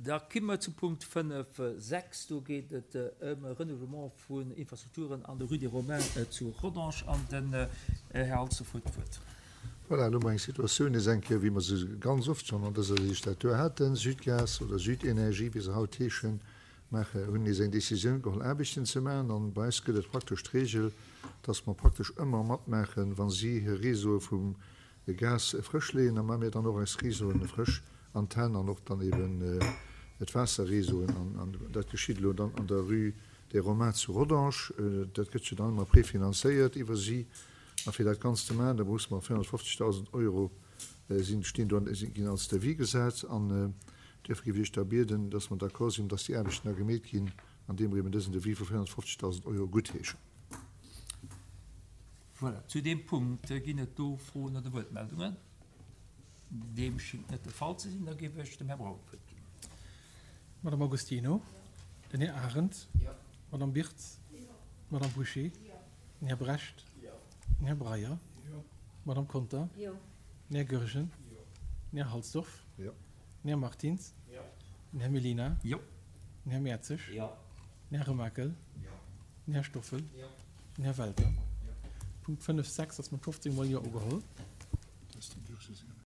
Da komme mer zum Punkt 5, 6. Do geet et ëm e Renouvellement vun Infrastrukturen an der Rue des Romains zu Rodange. An den Här Halsdorf huet d'Wuert. Voilà, elo hu mer eng Situatioun nees eng Kéier, wéi mer se ganz oft schonn an dëser Legislatur haten. Südgas oder Südenergie, wéi se haut heeschen, maache, hunn nees eng Décisioun geholl, Aarbechten ze maachen. An bei eis gëtt et praktesch d'Regel, dass mer praktesch ëmmer matmaachen, wa si hir Réseaue vum De Gas frësch leeën a man mir dann och eis Réseauen frësch an d'Hänn an och dann eben d'Waasserréseauen an dat geschitt elo dann an der Rue des Romains zu Rodange. Dat gëtt jo dann ëmmer prefinanzéiert iwwer si a fir dat Ganzt ze maachen, da musse mer 450.000 Euro sinn stinn do ginn als Devis gesat an duerfir géif ech da bieden, dass mer d'accord sinn, dass déi Aarbechten da gemeet ginn andeem mer eben dësen Devis vu 450.000 Euro guttheeschen. Voilà, zu deem Punkt ginn et do Froen oder Wuertmeldungen? Deem schingt net de Fall ze sinn. Da géif ech dem Här Braun d'Wuert ginn. Madame Agostino, den Här Arendt, d'Madame Birtz, d'Madame Bouché, den Här Brecht, den Här Breyer, d'Madame Conter, den Här Goergen, den Här Halsdorf, den Här Martins, den Här Mellina, den Här Mertzig, den Här Remakel, den Här Stoffel, Den Här Welter. Punkt 5, 6 ass mat 15 mol Jo ugeholl.